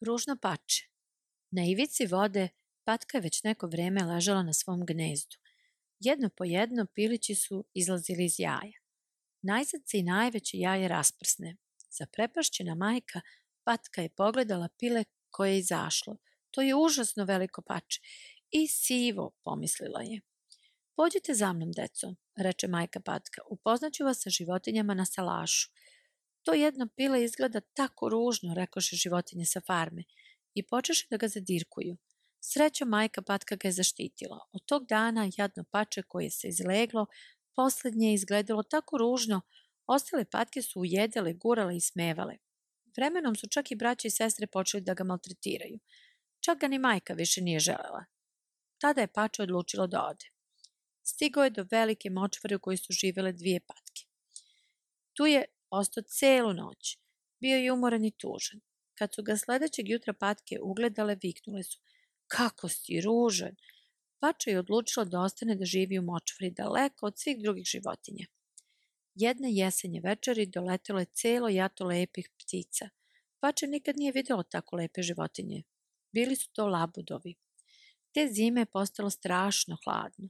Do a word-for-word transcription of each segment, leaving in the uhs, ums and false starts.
Ružno pače. Na ivici vode patka je već neko vreme ležala na svom gnezdu. Jedno po jedno pilići su izlazili iz jaja. Najzad se i najveće jaje rasprsne. Zaprepašćena majka patka je pogledala pile koje je izašlo. To je užasno veliko pače. I sivo, pomislila je. Pođite za mnom, deco, reče majka patka. Upoznaću vas sa životinjama na salašu. To jedno pile izgleda tako ružno, rekoše životinje sa farme, i počeše da ga zadirkuju. Srećom majka patka ga je zaštitila. Od tog dana jadno pače koje se izleglo, poslednje je izgledalo tako ružno, ostale patke su ujedele, gurale i smevale. Vremenom su čak i braća i sestre počeli da ga maltretiraju. Čak ga ni majka više nije želela. Tada je pače odlučilo da ode. Stigao je do velike močvare u kojoj su živele dvije patke. Tu je ostao celu noć. Bio je umoran i tužan. Kad su ga sledećeg jutra patke ugledale, viknule su: "Kako si ružan!" Pače je odlučila da ostane da živi u močvari, daleko od svih drugih životinja. Jedne jesenje večeri doletelo je celo jato lepih ptica. Pače nikad nije videlo tako lepe životinje. Bili su to labudovi. Te zime je postalo strašno hladno.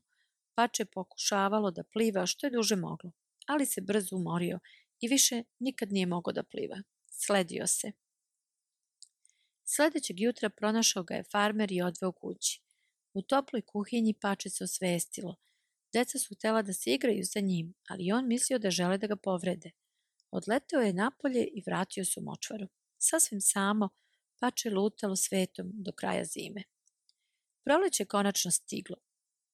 Pače je pokušavalo da pliva što je duže moglo, ali se brzo umorio i više nikad nije mogao da pliva. Sledio se. Sledećeg jutra pronašao ga je farmer i odveo kući. U toploj kuhinji pače se osvestilo. Deca su htela da se igraju sa njim, ali on mislio da žele da ga povrede. Odleteo je napolje i vratio se u močvaru. Sasvim samo, pače lutalo svetom do kraja zime. Proleće je konačno stiglo.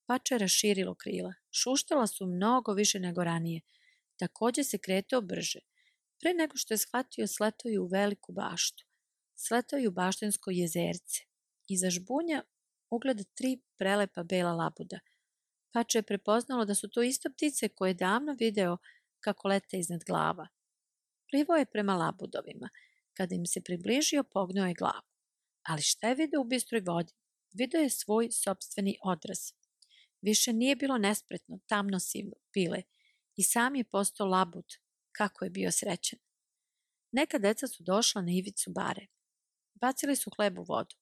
Pače je raširilo krila. Šuštala su mnogo više nego ranije. Takođe se kretao brže. Pre nego što je shvatio, sletao je u veliku baštu. Sletao je u baštensko jezerce. Iza žbunja ugleda tri prelepa bela labuda. Pače je prepoznalo da su to isto ptice koje je davno video kako lete iznad glava. Plivao je prema labudovima. Kada im se približio, pognuo je glavu. Ali šta je video u bistroj vodi? Video je svoj sopstveni odraz. Više nije bilo nespretno, tamno sivo pile i sam je postao labud. Kako je bio srećan. Neka deca su došla na ivicu bare. Bacili su hleb u vodu.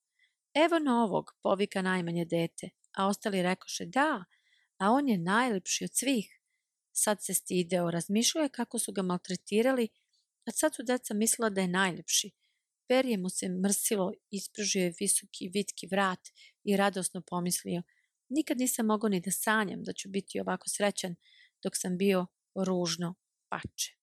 "Evo novog," povika najmanje dete, a ostali rekoše: "Da, a on je najlepši od svih." Sad se stideo, razmišljao je kako su ga maltretirali, a sad su deca mislila da je najlepši. Perje mu se mrsilo, ispružio je visoki vitki vrat i radosno pomislio: "Nikad nisam mogao ni da sanjam da ću biti ovako srećan dok sam bio ružno pače."